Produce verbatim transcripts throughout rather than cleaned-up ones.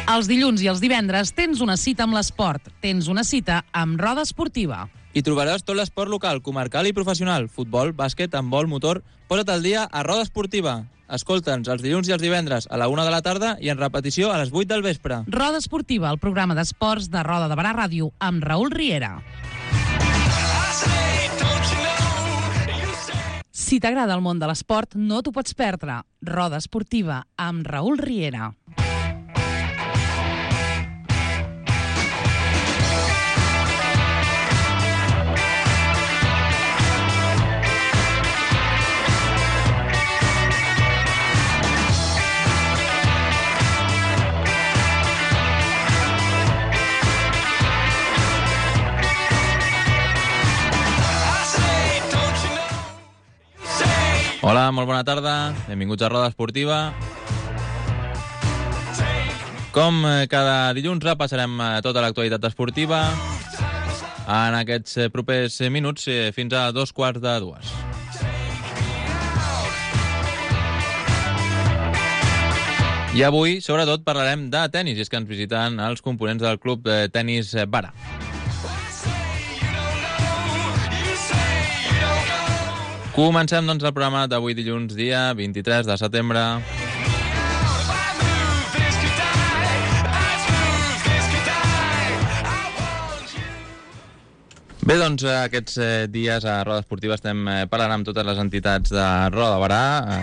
Els dilluns i els divendres tens una cita amb l'esport. Tens una cita amb Roda Esportiva. Hi trobaràs tot l'esport local, comarcal i professional. Futbol, bàsquet, handbol, motor. Posa't al dia a Roda Esportiva. Escolta'ns els dilluns i els divendres a la una de la tarda i en repetició a les vuit del vespre. Roda Esportiva, el programa d'esports de Roda de Barà Ràdio amb Raül Riera. Si t'agrada el món de l'esport, no t'ho pots perdre. Roda Esportiva amb Raül Riera. Hola, molt bona tarda. Benvinguts a Roda Esportiva. Com cada dilluns repassarem tota l'actualitat esportiva en aquests propers minuts fins a dos quarts de dues. I avui, sobretot, parlarem de tennis, i és que ens visiten els components del club de tenis Barà. Comencem, doncs, el programa d'avui dilluns, dia vint-i-tres de setembre. Bé, doncs, aquests dies a Roda Esportiva estem parlant amb totes les entitats de Roda de Barà,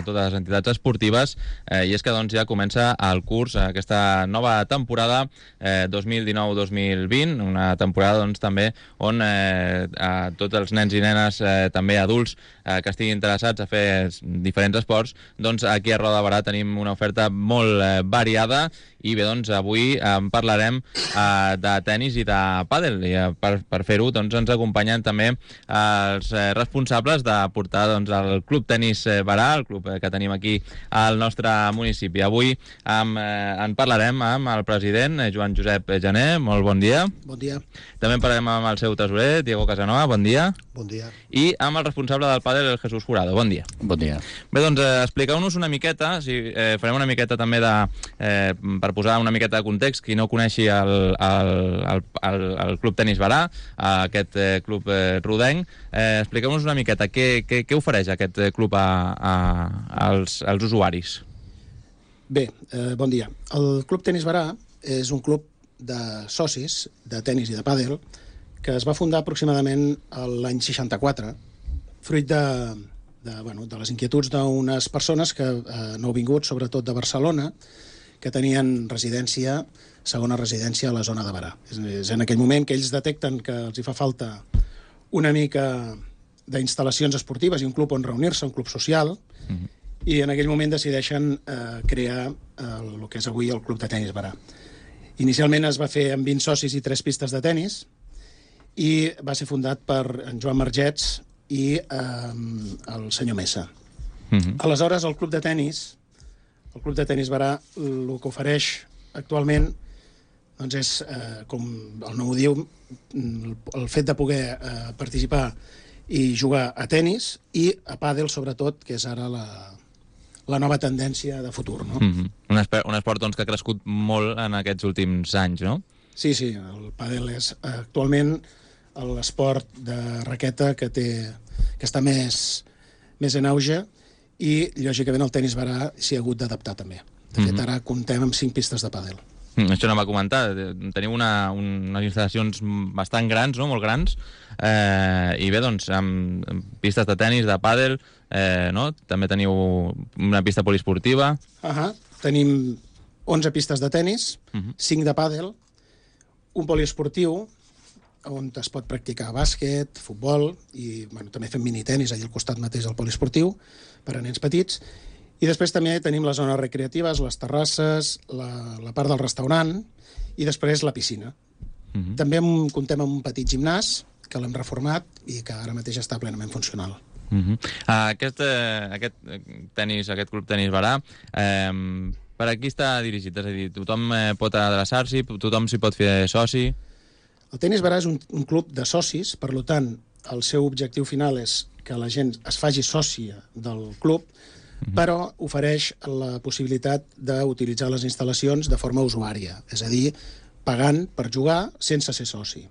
totes les entitats esportives, i és que doncs, ja comença el curs, aquesta nova temporada dos mil dinou dos mil vint, una temporada doncs, també on eh, tots els nens i nenes, eh, també adults, eh, que estiguin interessats a fer diferents esports, doncs aquí a Roda de Barà tenim una oferta molt eh, variada. I bé, doncs, avui en parlarem eh, de tennis i de pàdel. I eh, per, per fer-ho, doncs, ens acompanyen també els eh, responsables de portar doncs, el Club Tenis Barà, el club eh, que tenim aquí al nostre municipi. Avui amb, eh, en parlarem amb el president, eh, Joan Josep Jané. Molt bon dia. Bon dia. També en parlarem amb el seu tresorer, Diego Casanova. Bon dia. Bon dia. I amb el responsable del pàdel, el Jesús Jurado. Bon dia. Bon dia. Bé, doncs, eh, expliqueu-nos una miqueta, si, eh, farem una miqueta també de... Eh, per posar una miqueta de context, qui no coneixi el, el, el, el, el Club Tenis Barà, aquest eh, club eh, rodenc, eh, expliqueu-nos una miqueta què, què, què ofereix aquest club a, a, als, als usuaris. Bé, eh, bon dia. El Club Tenis Barà és un club de socis de tenis i de pàdel que es va fundar aproximadament l'any seixanta-quatre, fruit de, de, bueno, de les inquietuds d'unes persones que eh, nouvinguts, sobretot de Barcelona, que tenien residència, segona residència a la zona de Barà. És, és en aquell moment que ells detecten que els hi fa falta una mica d'instal·lacions esportives i un club on reunir-se, un club social, mm-hmm. i en aquell moment decideixen eh, crear eh, el que és avui el Club de Tenis Barà. Inicialment es va fer amb vint socis i tres pistes de tenis i va ser fundat per en Joan Margets i eh, el senyor Mesa. Mm-hmm. Aleshores, el Club de Tenis El Club de Tenis Barà el que ofereix actualment doncs és, eh, com el nom ho diu, el fet de poder eh, participar i jugar a tenis i a pàdel, sobretot, que és ara la, la nova tendència de futur. No? Mm-hmm. Un, esport, un esport doncs, que ha crescut molt en aquests últims anys, no? Sí, sí, el pàdel és actualment l'esport de raqueta que, té, que està més, més en auge, i, lògicament, el tenis Barà s'hi ha hagut d'adaptar també. De fet, ara comptem amb cinc pistes de pàdel. Mm, això no va comentar. Teniu una, unes instal·lacions bastant grans, no? Molt grans. Eh, I bé, doncs, amb, amb pistes de tenis, de pàdel, eh, no? També teniu una pista poliesportiva. Uh-huh. Tenim onze pistes de tenis, uh-huh. cinc de pàdel, un poliesportiu, on es pot practicar bàsquet, futbol, i bueno, també fem minitenis allà al costat mateix del poliesportiu, per a nens petits. I després també tenim les zones recreatives, les terrasses, la, la part del restaurant, i després la piscina. Uh-huh. També amb, comptem amb un petit gimnàs, que l'hem reformat i que ara mateix està plenament funcional. Uh-huh. Aquest, eh, aquest tenis, aquest club Tenis Barà, eh, per a qui està dirigit? És a dir, tothom eh, pot adreçar-s'hi, tothom s'hi pot fer soci? El Tenis Barà és un, un club de socis, per tant, el seu objectiu final és que la gent es faci sòcia del club, però ofereix la possibilitat d'utilitzar les instal·lacions de forma usuària, és a dir, pagant per jugar sense ser soci.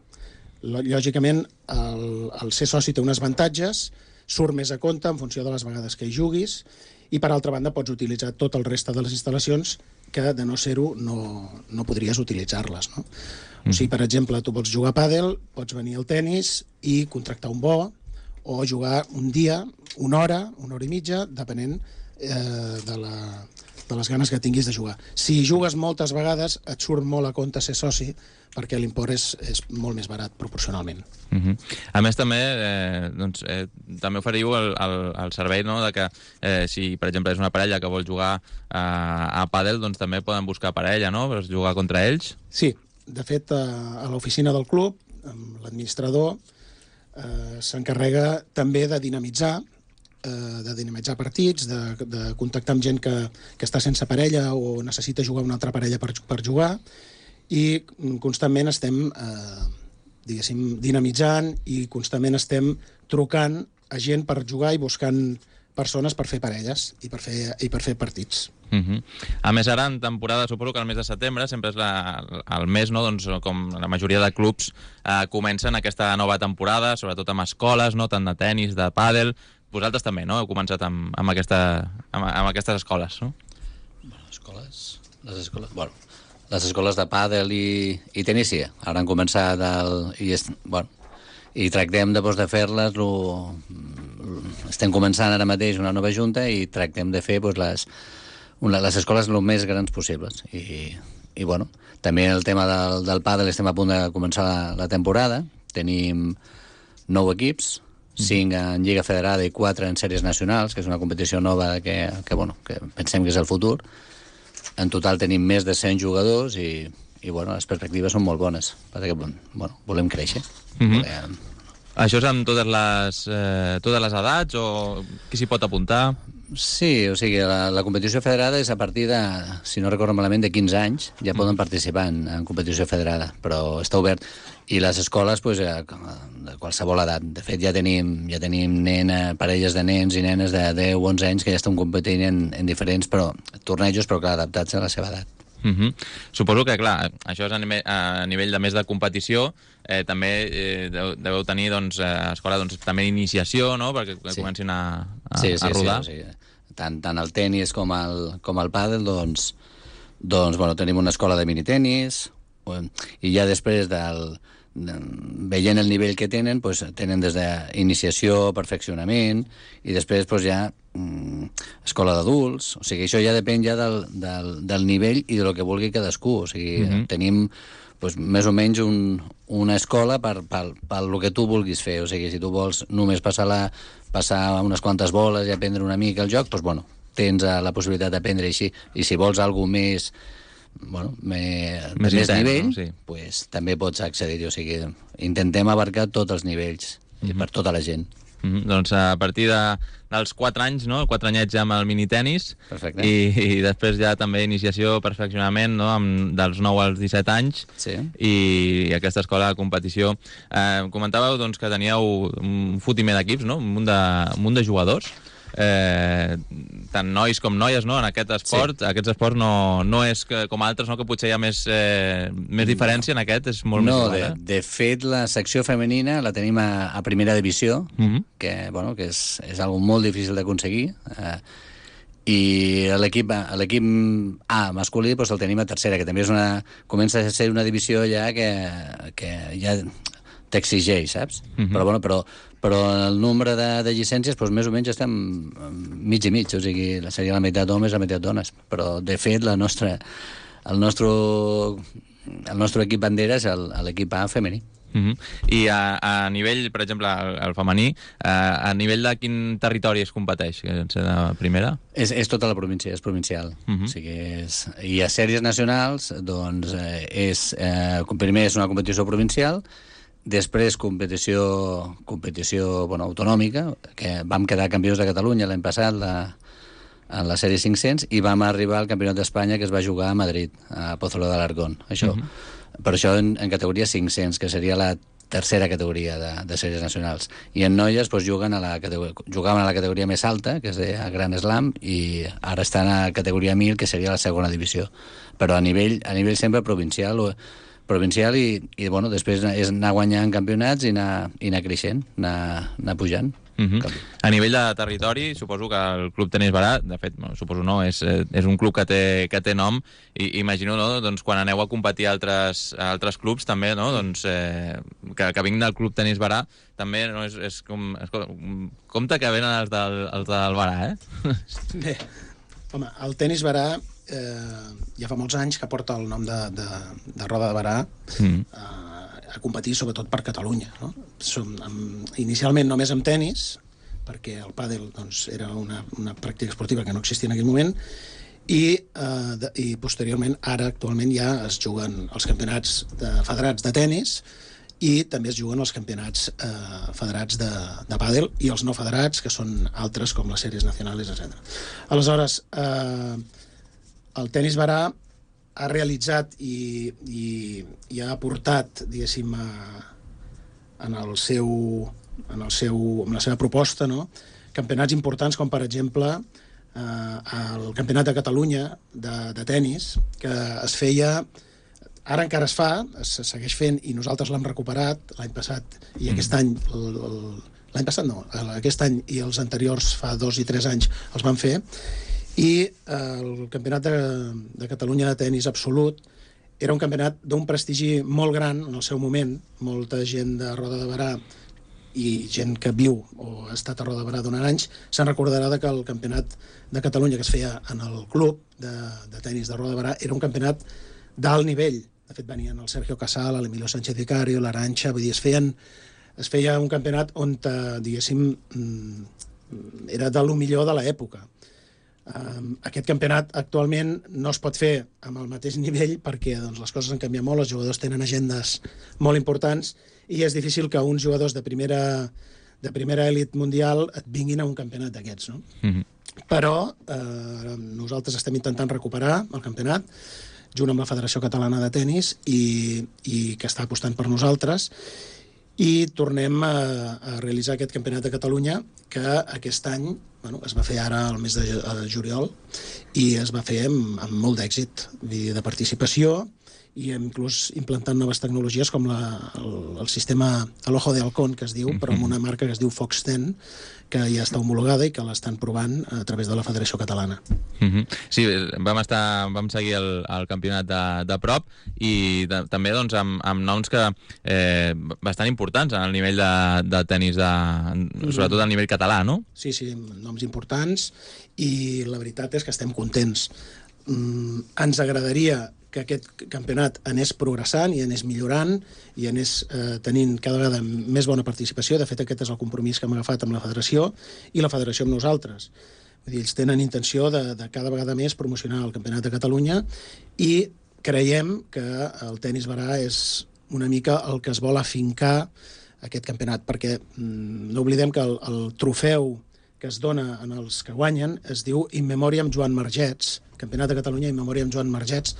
Lògicament, el, el ser soci té uns avantatges, surt més a compte en funció de les vegades que hi juguis, i per altra banda pots utilitzar tot el reste de les instal·lacions que de no ser-ho no, no podries utilitzar-les, no? Mm. O sigui, per exemple, tu vols jugar a pàdel, pots venir al tennis i contractar un bo, o jugar un dia, una hora, una hora i mitja, depenent eh, de, la, de les ganes que tinguis de jugar. Si jugues moltes vegades, et surt molt a compte ser soci, perquè l'import és, és molt més barat proporcionalment. Uh-huh. A més, també eh, doncs, eh, també oferiu el, el, el servei, no?, de que eh, si, per exemple, és una parella que vol jugar eh, a pàdel, doncs també poden buscar parella, no?, per jugar contra ells. Sí, de fet, a, a l'oficina del club, amb l'administrador, eh, s'encarrega també de dinamitzar eh, de dinamitzar partits, de, de contactar amb gent que, que està sense parella o necessita jugar una altra parella per, per jugar, i constantment estem eh, diguéssim, dinamitzant i constantment estem trucant a gent per jugar i buscant persones per fer parelles i per fer, i per fer partits. Uh-huh. A més, ara en temporada, suposo que el mes de setembre sempre és la, el mes, no?, doncs, com la majoria de clubs eh, comencen aquesta nova temporada, sobretot amb escoles, no?, tant de tennis, de pàdel. Vosaltres també, no?, heu començat amb, amb, aquesta, amb, amb aquestes escoles, no? Bueno, escoles... Les escoles... Bueno, les escoles de pàdel i, i tenis, sí. Ara han començat el... I, est, bueno, i tractem de, doncs, de fer-les... Lo, estem començant ara mateix una nova junta i tractem de fer, doncs, les, una, les escoles el més grans possibles. I, i bueno, també el tema del, del pàdel, estem a punt de començar la, la temporada. Tenim nou equips, cinc en Lliga Federada i quatre en sèries nacionals, que és una competició nova que, que, bueno, que pensem que és el futur. En total tenim més de cent jugadors i, i bueno, les perspectives són molt bones, perquè bueno, volem créixer. Mm-hmm. volem... Això és amb totes les, eh, totes les edats o qui s'hi pot apuntar? Sí, o sigui, la, la competició federada és a partir de, si no recordo malament, de quinze anys, ja mm. poden participar en, en competició federada, però està obert. I les escoles, pues, de qualsevol edat. De fet, ja tenim, ja tenim nena, parelles de nens i nenes de deu o onze anys que ja estan competint en, en diferents però, tornejos, però clar, adaptats a la seva edat. Uh-huh. Suposo que, clar, això és a nivell, a nivell de més de competició, eh, també eh, deveu tenir, doncs, eh, escola, doncs, també iniciació, no?, perquè sí. comencin a, a, sí, sí, a rodar. Sí, sí. Tant, tant el tenis com el, com el pàdel, doncs, doncs, bueno, tenim una escola de minitenis, i ja després del... veient el nivell que tenen, pues, tenen des d'iniciació, perfeccionament, i després pues, ja mm, escola d'adults. O sigui, això ja depèn ja del, del, del nivell i del que vulgui cadascú. O sigui, uh-huh. tenim pues, més o menys un, una escola per, per, per el que tu vulguis fer. O sigui, si tu vols només passar, la, passar unes quantes boles i aprendre una mica el joc, pues, bueno, tens la possibilitat d'aprendre així. I si vols alguna més... bueno, me, més, més intens, nivell, no? Sí. Pues, també pots accedir. O sigui, intentem abarcar tots els nivells mm-hmm. per tota la gent. Mm-hmm. Doncs a partir de, dels quatre anys, no? quatre anyets ja amb el minitenis. Perfecte. I, i després ja també iniciació, perfeccionament, no? Amb, dels nou als disset anys. Sí. I aquesta escola de competició. Eh, comentàveu, doncs, que teníeu un fotimer d'equips, no? Un munt de, un munt de jugadors. Eh, tant nois com noies, no?, en aquest esport. Sí. Aquest esport no, no és que, com altres, no?, que potser hi ha més, eh, més diferència. No. En aquest és molt no, més igual. No, de, de fet, la secció femenina la tenim a, a primera divisió, mm-hmm. que, bueno, que és, és algo molt difícil d'aconseguir. Eh, i l'equip l'equip A masculí doncs el tenim a tercera, que també és una, comença a ser una divisió ja que, que ja t'exigeix, saps? Mm-hmm. Però, bueno, però però el nombre de, de llicències, doncs, més o menys estem mig i mig, o sigui, seria la meitat homes i la meitat dones, però de fet la nostra, el, nostre, el nostre equip bandera és l'equip A femení. Uh-huh. I a, a nivell, per exemple, el, el femení, a, a nivell de quin territori es competeix? De primera? És, és tota la província, és provincial. Uh-huh. O sigui, és, i a sèries nacionals, doncs, és, eh, primer és una competició provincial, després competició, competició bueno, autonòmica, que vam quedar campions de Catalunya l'any passat la, en la sèrie cinc-cents i vam arribar al Campionat d'Espanya que es va jugar a Madrid, a Pozuelo de Alarcón. Això, uh-huh. Per això en, en categoria cinc-cents, que seria la tercera categoria de, de sèries nacionals. I en noies doncs, juguen a la jugaven a la categoria més alta, que és de Gran Slam, i ara estan a la categoria mil, que seria la segona divisió. Però a nivell, a nivell sempre provincial, o, provincial i, i bueno, després és anar guanyant campionats i anar, i anar creixent, anar, anar pujant. Uh -huh. A nivell de territori, suposo que el Club Tenis Barà, de fet, bueno, suposo no, és, és un club que té, que té nom, i imagino, no?, doncs, quan aneu a competir a altres, a altres clubs, també, no?, doncs, eh, que, que vinc del Club Tenis Barà, també, no?, és, és com... Escolta, compte que venen els del, els del Barà, eh? Bé, home, el Tenis Barà eh, ja fa molts anys que porta el nom de, de, de Roda de Barà, mm. eh, a competir sobretot per Catalunya, no? Som, amb, inicialment només amb tenis, perquè el pàdel doncs, era una, una pràctica esportiva que no existia en aquell moment, i, eh, de, i posteriorment, ara actualment ja es juguen els campionats de, federats de tenis i també es juguen els campionats eh, federats de, de pàdel i els no federats, que són altres com les sèries nacionals, etcètera. Aleshores, eh, el Tenis Barà ha realitzat i, i, i ha aportat, diguéssim, a, en el seu, en el seu, en la seva proposta, no?, campionats importants com, per exemple, eh, el Campionat de Catalunya de, de tenis, que es feia, ara encara es fa, es segueix fent, i nosaltres l'hem recuperat l'any passat, i aquest any, el, el, l'any passat no, aquest any i els anteriors, fa dos i tres anys, els van fer, i el Campionat de, de Catalunya de tenis absolut era un campionat d'un prestigi molt gran en el seu moment. Molta gent de Roda de Barà i gent que viu o ha estat a Roda de Barà durant anys se'n recordarà que el Campionat de Catalunya que es feia en el club de, de tenis de Roda de Barà era un campionat d'alt nivell. De fet, venien el Sergio Casal, l'Emilio Sánchez Vicario, l'Arantxa, vull dir, es feien es feia un campionat on, diguéssim, era de lo millor de l'època. Um, aquest campionat actualment no es pot fer amb el mateix nivell perquè doncs, les coses han canviat molt, els jugadors tenen agendes molt importants i és difícil que uns jugadors de primera, de primera elit mundial et vinguin a un campionat d'aquests, no? Mm-hmm. Però eh, nosaltres estem intentant recuperar el campionat junt amb la Federació Catalana de Tenis i, i que està apostant per nosaltres, i tornem a, a realitzar aquest Campionat de Catalunya que aquest any, bueno, es va fer ara al mes de, de juliol i es va fer amb, amb molt d'èxit de participació i inclús implantant noves tecnologies com la, el, el sistema l'Ojo de Halcón, que es diu, però amb una marca que es diu Fox ten, que ja està homologada i que l'estan provant a través de la Federació Catalana. Mm-hmm. Sí, vam, estar, vam seguir el, el campionat de, de prop i de, també doncs, amb, amb noms que eh, bastant importants en el nivell de, de tenis, de, sobretot a nivell català, no? Sí, sí, noms importants i la veritat és que estem contents. Mm, ens agradaria que aquest campionat anés progressant i anés millorant i anés eh, tenint cada vegada més bona participació. De fet, aquest és el compromís que hem agafat amb la federació i la federació amb nosaltres. Vull dir, ells tenen intenció de, de cada vegada més promocionar el Campionat de Catalunya i creiem que el Tenis Barà és una mica el que es vol afincar aquest campionat, perquè mm, no oblidem que el, el trofeu que es dona en els que guanyen es diu In Memoriam Joan Margets, Campionat de Catalunya In Memoriam Joan Margets,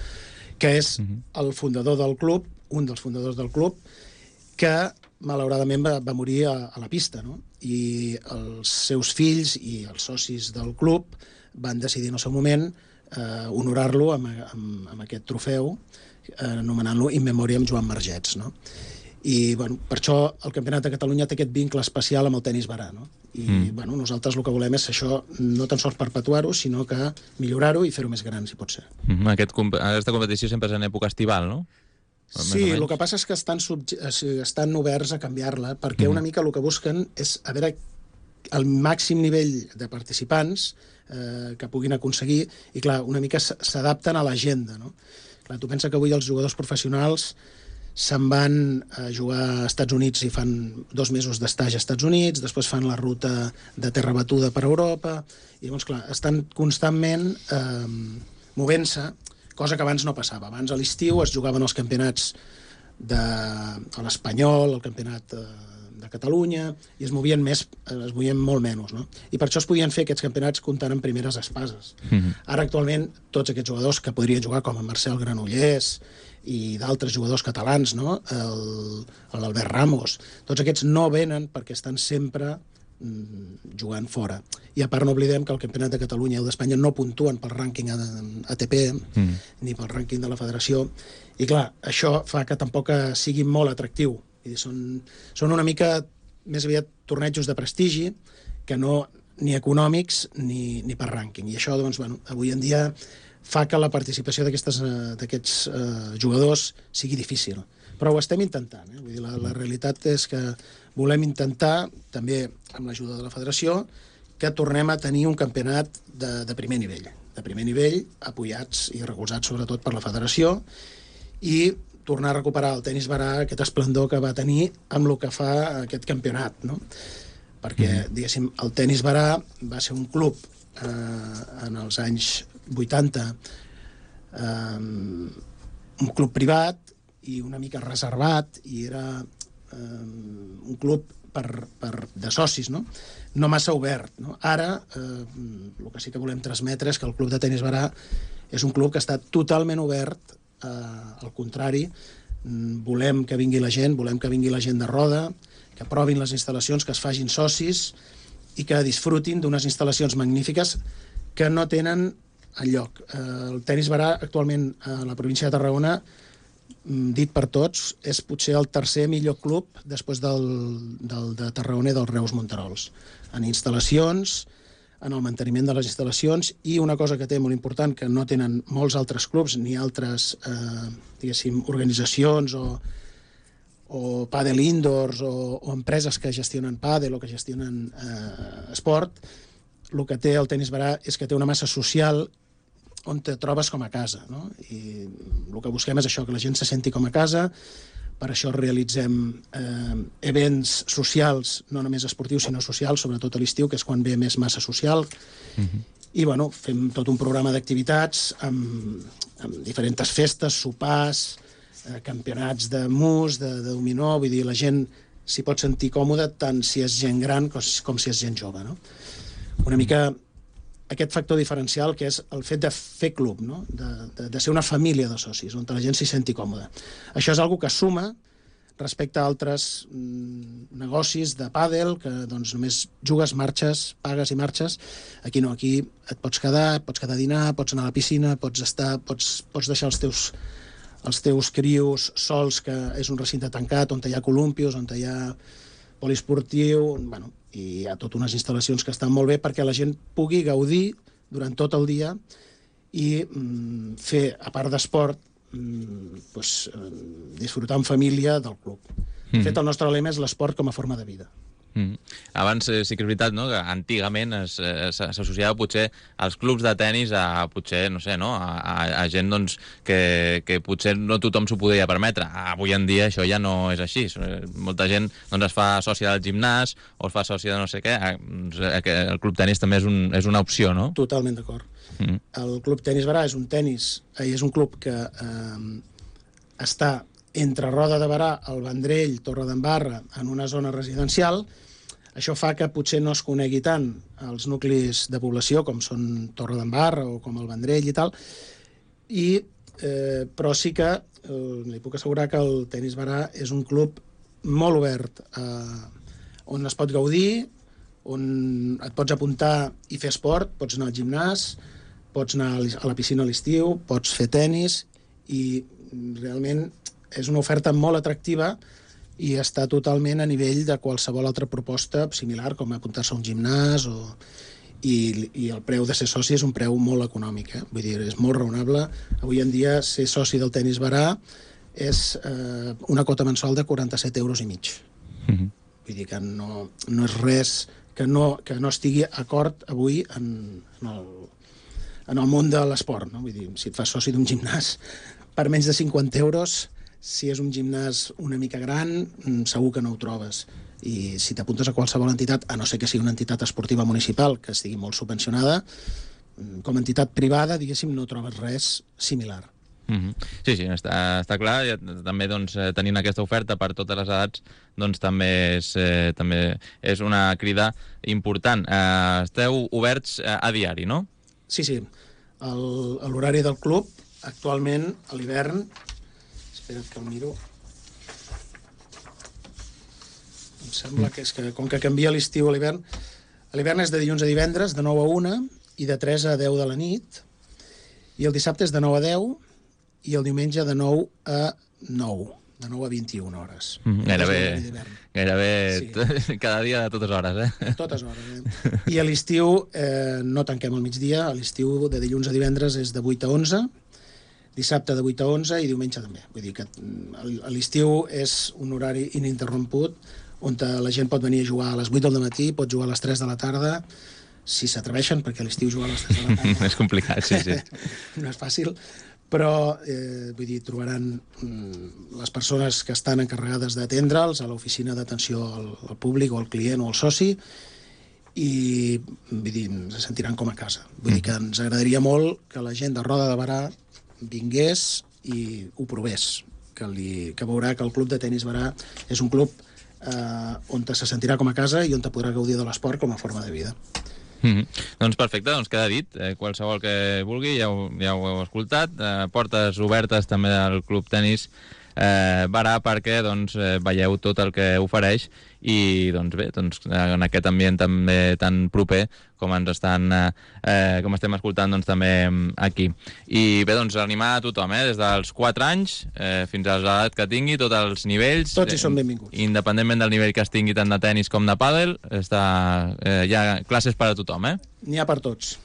que és el fundador del club, un dels fundadors del club, que malauradament va, va morir a, a la pista, no? I els seus fills i els socis del club van decidir en el seu moment eh, honorar-lo amb, amb, amb aquest trofeu, eh, anomenant-lo In Memoriam Joan Margets, no? I bueno, per això el Campionat de Catalunya té aquest vincle especial amb el Tenis Barà, no? I mm. bueno, nosaltres el que volem és això, no tan sols perpetuar-ho, sinó que millorar-ho i fer-ho més gran, si pot ser. Mm-hmm. Aquest, aquesta competició sempre és en època estival, no? Sí, el que passa és que estan, subje... estan oberts a canviar-la, perquè mm. una mica el que busquen és a veure el màxim nivell de participants eh, que puguin aconseguir, i clar, una mica s'adapten a l'agenda, no? Clar, tu pensa que avui els jugadors professionals se'n van a jugar a Estats Units i fan dos mesos d'estatge als Estats Units, després fan la ruta de terra batuda per Europa, i llavors, clar, estan constantment eh, movent-se, cosa que abans no passava. Abans a l'estiu es jugaven els campionats de l'Espanyol, el campionat de, de Catalunya, i es movien més, es movien molt menys, no? I per això es podien fer aquests campionats comptant en primeres espases. Mm-hmm. Ara, actualment, tots aquests jugadors que podrien jugar, com en Marcel Granollers i d'altres jugadors catalans, no? l'Albert Ramos, tots aquests no venen perquè estan sempre mm, jugant fora. I a part no oblidem que el Campionat de Catalunya i el d'Espanya no puntuen pel rànquing A T P mm. ni pel rànquing de la federació, i clar, això fa que tampoc sigui molt atractiu. Vull dir, són, són una mica més aviat tornejos de prestigi que no ni econòmics ni, ni per rànquing. I això, doncs, bueno, avui en dia fa que la participació d'aquests uh, jugadors sigui difícil. Però ho estem intentant. Eh? Vull dir, la, la realitat és que volem intentar, també amb l'ajuda de la federació, que tornem a tenir un campionat de, de primer nivell. De primer nivell, apoyats i recolzats sobretot per la federació, i tornar a recuperar el tenis barà, aquest esplendor que va tenir amb el que fa aquest campionat, no? Perquè, diguéssim, el tenis barà va ser un club eh, en els anys vuitanta, eh, un club privat i una mica reservat, i era eh, un club per, per, de socis, no? No massa obert, no? Ara, eh, el que sí que volem transmetre és que el club de tenis barà és un club que està totalment obert. Eh, al contrari, volem que vingui la gent, volem que vingui la gent de Roda, que provin les instal·lacions, que es facin socis i que disfrutin d'unes instal·lacions magnífiques que no tenen enlloc. Eh, el tenis barà actualment a la província de Tarragona, dit per tots, és potser el tercer millor club després del, del de Tarragona i dels Reus Monterols. En instal·lacions, en el manteniment de les instal·lacions, i una cosa que té molt important, que no tenen molts altres clubs ni altres eh, diguéssim, organitzacions o, o pàdel indoors o, o empreses que gestionen pàdel o que gestionen eh, esport, el que té el tenis barà és que té una massa social on te trobes com a casa, no? I el que busquem és això, que la gent se senti com a casa. Per això realitzem eh, events socials, no només esportius, sinó socials, sobretot a l'estiu, que és quan ve més massa social. Uh-huh. I, bueno, fem tot un programa d'activitats amb, amb diferents festes, sopars, eh, campionats de mus, de, de dominó. Vull dir, la gent s'hi pot sentir còmoda tant si és gent gran com, com si és gent jove, no? Una mica aquest factor diferencial que és el fet de fer club, no? de, de, de ser una família de socis, on la gent s'hi senti còmoda. Això és algo que suma respecte a altres mm, negocis de pàdel, que doncs, només jugues, marxes, pagues i marxes. Aquí no, aquí et pots quedar, pots quedar a dinar, pots anar a la piscina, pots estar, pots, pots deixar els teus, els teus crios sols, que és un recinte tancat, on hi ha columpios, on hi ha poliesportiu, bueno, i hi ha totes unes instal·lacions que estan molt bé perquè la gent pugui gaudir durant tot el dia i mm, fer, a part d'esport, mm, pues, eh, disfrutar en família del club. Mm. De fet, el nostre lema és l'esport com a forma de vida. Mm. Abans eh, sí que és veritat, no?, que antigament s'associava potser als clubs de tennis a potser, no sé, no?, a, a, a gent doncs, que, que potser no tothom s'ho podia permetre. Avui en dia això ja no és així. Molta gent doncs, es fa sòcia del gimnàs o es fa sòcia de no sé què. El club tenis també és, un, és una opció, no? Totalment d'acord. Mm. El club tenis barà és un tenis, és un club que eh, està entre Roda de Barà, el Vendrell, Torredembarra, en una zona residencial. Això fa que potser no es conegui tant els nuclis de població, com són Torredembarra o com el Vendrell i tal, i, eh, però sí que eh, li puc assegurar que el tenis barà és un club molt obert, eh, on es pot gaudir, on et pots apuntar i fer esport, pots anar al gimnàs, pots anar a la piscina a l'estiu, pots fer tenis, i realment és una oferta molt atractiva i està totalment a nivell de qualsevol altra proposta similar, com apuntar-se a un gimnàs, o... I, i el preu de ser soci és un preu molt econòmic, eh? Vull dir, és molt raonable. Avui en dia ser soci del tenis barà és eh, una quota mensual de quaranta-set euros i mig. Mm-hmm. Vull dir que no, no és res que no, que no estigui acord avui en, en, el, en el món de l'esport, no? Vull dir, si et fas soci d'un gimnàs per menys de cinquanta euros, si és un gimnàs una mica gran, segur que no ho trobes. I si t'apuntes a qualsevol entitat, a no ser que sigui una entitat esportiva municipal que estigui molt subvencionada, com a entitat privada, diguéssim, no trobes res similar. Mm-hmm. Sí, sí, està, està clar. I també doncs, tenint aquesta oferta per totes les edats doncs, també, és, eh, també és una crida important. Eh, esteu oberts eh, a diari, no? Sí, sí. L'horari del club, actualment, a l'hivern, espera't que el miro. Em sembla que és que, com que canvia l'estiu a l'hivern, a l'hivern és de dilluns a divendres, de nou a una, i de tres a deu de la nit, i el dissabte és de nou a deu, i el diumenge de nou a nou, de nou a vint-i-una hores. Mm, gairebé, gairebé sí. Cada dia a totes hores, eh? A totes hores, eh? I a l'estiu eh, no tanquem al migdia, a l'estiu de dilluns a divendres és de vuit a onze, dissabte de vuit a onze i diumenge també. Vull dir que a l'estiu és un horari ininterromput on la gent pot venir a jugar a les vuit del matí, pot jugar a les tres de la tarda, si s'atreveixen, perquè a l'estiu jugar a les tres de la tarda... És complicat, sí, sí. No és fàcil, però eh, vull dir, trobaran mm, les persones que estan encarregades d'atendre'ls a l'oficina d'atenció al, al públic o al client o al soci, i vull dir, se sentiran com a casa. Vull dir que ens agradaria molt que la gent de Roda de Berà vingués i ho provés, que, li, que veurà que el club de tenis Berà és un club eh, on se sentirà com a casa i on te podrà gaudir de l'esport com a forma de vida. Mm-hmm. Doncs perfecte, doncs queda dit. Eh, qualsevol que vulgui, ja ho, ja ho heu escoltat. Eh, portes obertes també del Club Tenis eh, Berà perquè doncs, eh, veieu tot el que ofereix i doncs bé, doncs, en aquest ambient també tan proper com ens estan eh, com estem escoltant doncs, també aquí. I bé, doncs animar a tothom, eh, des dels quatre anys eh, fins a l'edat que tingui, tots els nivells. Tots hi són benvinguts. Independentment del nivell que es tingui tant de tenis com de pàdel, està, eh, hi ha classes per a tothom, eh? N'hi ha per tots.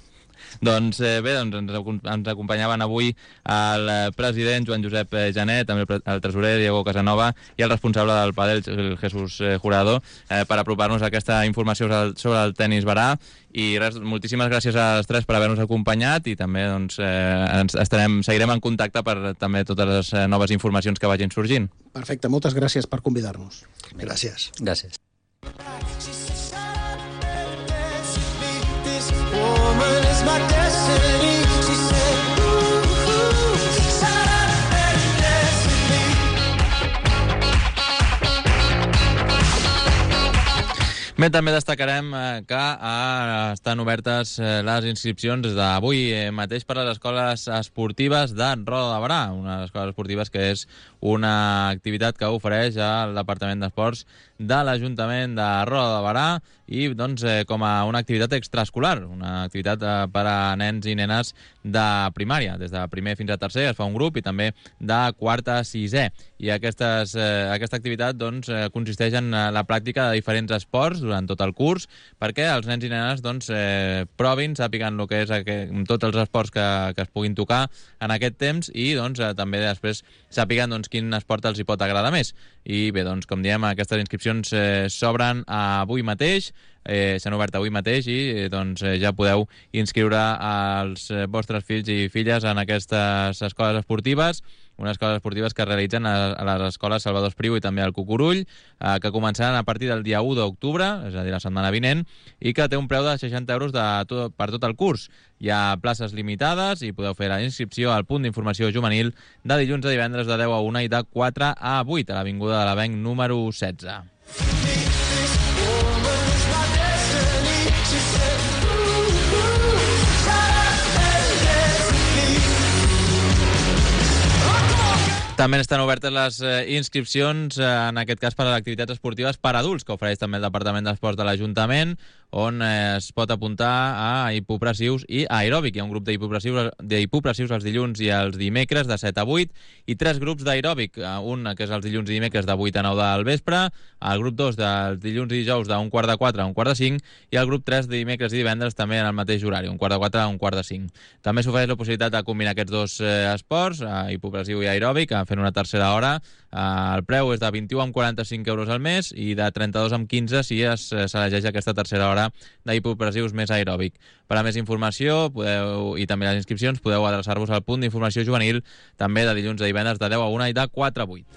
Doncs eh, bé, doncs ens, ens acompanyaven avui el president Joan Josep Janet, també el, el tresorer Diego Casanova i el responsable del pàdel, el Jesús Jurado, eh, per apropar-nos a aquesta informació sobre el tenis Berà. I res, moltíssimes gràcies a les tres per haver-nos acompanyat i també doncs, eh, ens estarem, seguirem en contacte per també totes les noves informacions que vagin sorgint. Perfecte, moltes gràcies per convidar-nos. Gràcies. Gràcies. Woman is my destiny. She said, ooh, ooh, shut up and dance with me. Bé, també destacarem que estan obertes les inscripcions des d'avui mateix per a les escoles esportives de Roda de Berà, una de les escoles esportives que és una activitat que ofereix el Departament d'Esports de l'Ajuntament de Roda de Berà i doncs, eh, com a una activitat extraescolar, una activitat eh, per a nens i nenes de primària. Des de primer fins a tercer es fa un grup i també de quart a sisè. I aquestes, eh, aquesta activitat doncs, eh, consisteix en la pràctica de diferents esports durant tot el curs perquè els nens i nenes doncs, eh, provin, sàpiguen el que és aquest, tots els esports que, que es puguin tocar en aquest temps i doncs, eh, també després sàpiguen doncs, quin esport els hi pot agradar més. I bé, doncs, com diem, aquestes inscripcions eh, s'obren avui mateix, eh, s'han obert avui mateix i eh, doncs, eh, ja podeu inscriure els eh, vostres fills i filles en aquestes escoles esportives, unes escoles esportives que es realitzen a, a les escoles Salvador Espriu i també al Cucurull, eh, que començaran a partir del dia u d'octubre, és a dir, la setmana vinent, i que té un preu de seixanta euros de tot, per tot el curs. Hi ha places limitades i podeu fer la inscripció al punt d'informació juvenil de dilluns a divendres de deu a una i de quatre a vuit, a l'Avinguda de l'Avenc número setze. També estan obertes les eh, inscripcions, eh, en aquest cas per a les activitats esportives per adults, que ofereix també el Departament d'Esports de l'Ajuntament, on eh, es pot apuntar a hipopressius i a aeròbic. Hi ha un grup d'hipopressius els dilluns i els dimecres de set a vuit i tres grups d'aeròbic, un que és els dilluns i dimecres de vuit a nou del vespre, el grup dos dels dilluns i dijous d'un quart de quatre a un quart de cinc i el grup tres de dimecres i divendres també en el mateix horari, un quart de quatre a un quart de cinc. També s'ofereix la possibilitat de combinar aquests dos eh, esports, eh, hipopressiu i aeròbic, fent una tercera hora. Eh, el preu és de vint-i-u amb quaranta-cinc euros al mes i de trenta-dos amb quinze si es s'elegeix aquesta tercera hora d'hipopressius més aeròbic. Per a més informació podeu, i també les inscripcions podeu adreçar-vos al punt d'informació juvenil també de dilluns a divendres de deu a una i de quatre a vuit.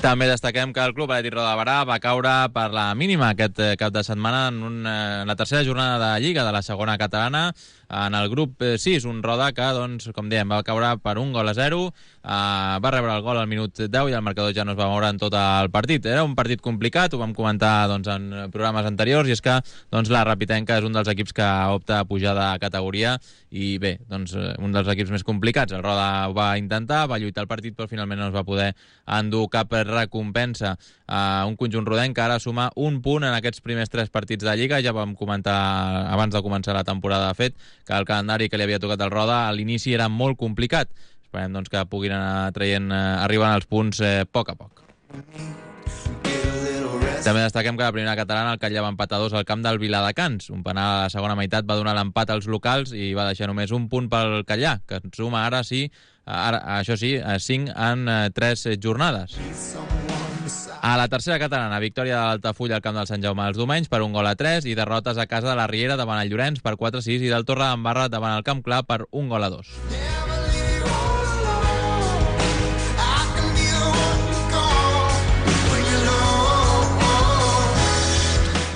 També destaquem que el Club Atlètic Roda de Berà va caure per la mínima aquest cap de setmana en, un, en la tercera jornada de Lliga de la segona catalana. en el grup sis, un Roda que, doncs, com dèiem, va caure per un gol a zero, uh, va rebre el gol al minut deu i el marcador ja no es va moure en tot el partit. Era un partit complicat, ho vam comentar doncs, en programes anteriors, i és que doncs, la Rapitenca és un dels equips que opta a pujar de categoria i bé, doncs, un dels equips més complicats. El Roda ho va intentar, va lluitar el partit, però finalment no es va poder endur cap recompensa. Uh, un conjunt rodenc que ara suma un punt en aquests primers tres partits de Lliga. Ja vam comentar abans de començar la temporada, de fet, que el calendari que li havia tocat al Roda a l'inici era molt complicat. Esperem doncs, que puguin anar traient, eh, arribant als punts eh, a poc a poc. També destaquem que la primera catalana el Catllà va empatar dos al camp del Viladecans. Un penal a la segona meitat va donar l'empat als locals i va deixar només un punt pel Catllà, que suma ara sí, ara, això sí, cinc en tres jornades. A la tercera catalana, victòria de l'Altafulla al camp del Sant Jaume dels Domenys per un gol a tres i derrotes a casa de la Riera davant el Llorenç per quatre a sis i del Torre d'Embarra davant el Camp Clar per un gol a dos.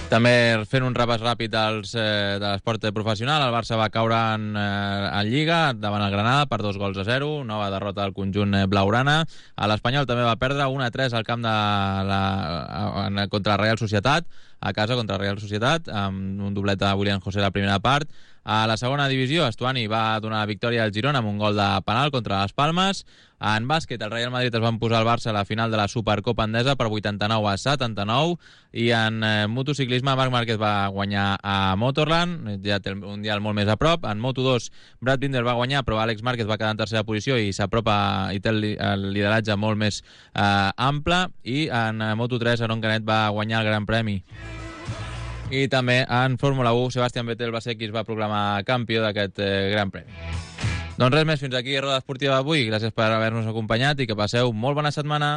També fent un repàs ràpid dels, eh, de l'esport professional, el Barça va caure en, eh, en Lliga davant el Granada per dos gols a zero, nova derrota del conjunt eh, blaugrana. L'Espanyol també va perdre un a tres al camp de la, en, contra la Real Societat, a casa contra la Real Societat, amb un doblet de William José a la primera part. A la segona divisió, Estuani va donar la victòria al Girona amb un gol de penal contra les Palmes. En bàsquet, el Real Madrid es va posar al Barça a la final de la Supercopa Endesa per vuitanta-nou a setanta-nou, i en eh, motociclisme Marc Márquez va guanyar a Motorland, ja té un mundial molt més a prop. En Moto dos, Brad Binder va guanyar, però Àlex Márquez va quedar en tercera posició i s'apropa i té el, el lideratge molt més eh, ample. I en eh, Moto tres, Aron Canet va guanyar el Gran Premi. I també en Fórmula u, Sebastian Vettel va ser qui es va proclamar campió d'aquest eh, Gran Premi. Doncs res més, fins aquí Roda Esportiva d'avui. Gràcies per haver-nos acompanyat i que passeu molt bona setmana.